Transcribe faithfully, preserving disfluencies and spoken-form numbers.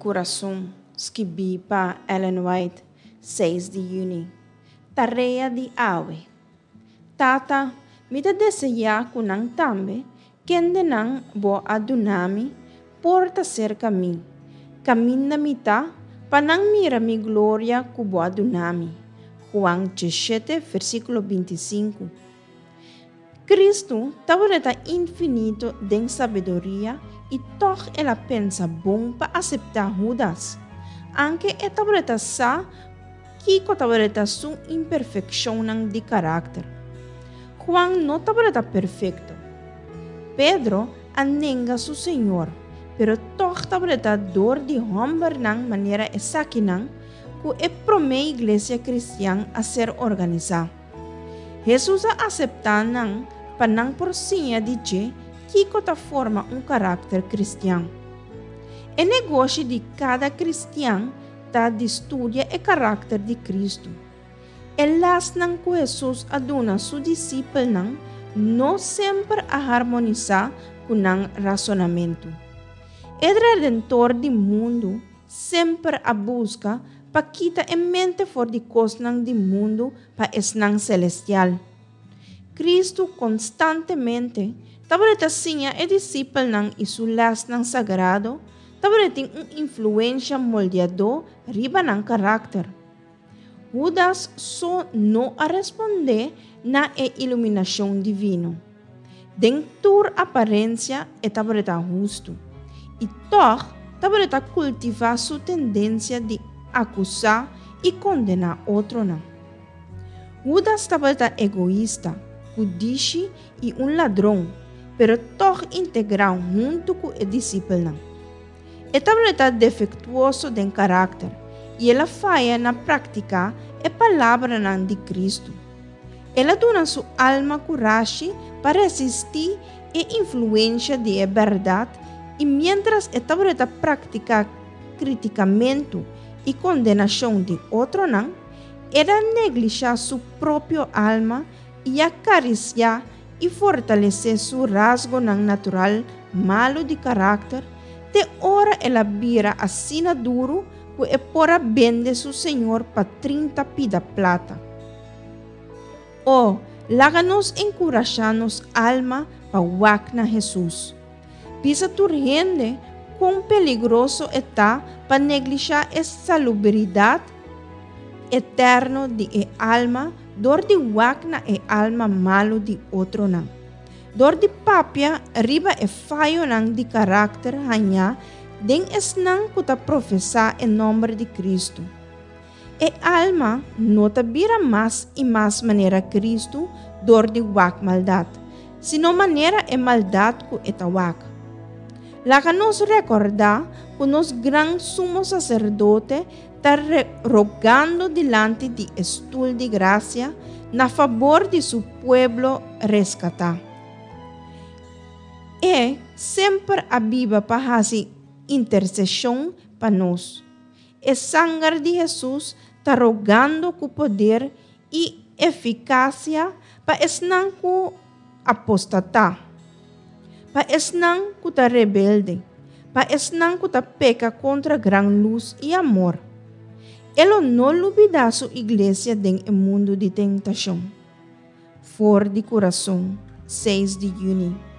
Kurason, skibí pa Ellen White, seis di yüni. Tarea di awe. Tata, mi ta deseá ku nan tambe, kendenan bo a duna mi, por ta serka mi, kaminda mi ta, pa nan mira mi gloria ku bo a duna mi. Juan diesshete, versíkulo binti sinku. Kristu tabata infinito den sabiduria i tòg el a pensa bon pa aseptá Hudas. Aunke e tabata sa kiko tabata su imperfekshonnan di karakter. Juan no tabata perfekto. Pedro a nenga su Señor, pero tòg tabata dor di hòmbernan manera esakinan ku e promé iglesia kristian a ser organisá. Hesus a aseptá nan pa nan por siña di dje kiko ta forma un karakter kristian. E negoshi di kada kristian ta di studia e karakter di Kristu. E lèsnan ku Hesus a duna su disipelnan no semper a harmonisá ku nan rasonamentu. E Redentor di mundu semper a buska pa kita e mente for di kosnan di mundu pa esnan selestial. Kristu konstantemente tabata siña e disipelnan i su lèsnan sagrado tabatin un influensia moldeadó riba nan karakter. Hudas so no a respondé na e iluminashon divino. Den tur aparensia e tabata hustu. I tòg tabata kultivá su tendensia di akusá i kondená otronan. Hudas tabata egoista, kudishi i un ladron, pero tòg integrá huntu ku e disipelnan. E tabata defektuoso den karakter i el a faya na praktiká e palabranan di Kristu. El a duna su alma kurashi pa resistí e influensia di e bèrdat i miéntras e tabata praktiká kritikamentu i kondenashon di otronan, el a neglishá su propio alma i a karisiá i fortalesé su rasgonan natural malu di karakter, te ora el a bira asina duru ku e por a bende su Señor pa trinta pida plata. O, laga nos enkurashá nos alma pa wak na Hesus. Bisa tur hende kon peligroso e ta pa neglishá e salubridat eterno di e alma dor di wak na e alma malu di otronan. Dor di papia riba e fayonan di karakter hañá den esnan ku ta profesá e nòmber di Kristu. E alma no ta bira mas i mas manera Kristu dor di wak maldat, sino manera e maldat ku e ta wak. Laga nos rekordá ku nos gran sumo saserdote ta rogando dilanti di e stul di grasia na fabor di su pueblo reskatá. E semper a biba pa hasi interseshon pa nos. E sanger di Hesus ta rogando ku poder i efikasia pa esnan ku apostatá, pa esnan ku ta rebelde, pa esnan ku ta peka kontra gran lus i amor. E lo no lubidá su iglesia den e mundu di tentashon. For di Kurason, seis di yüni.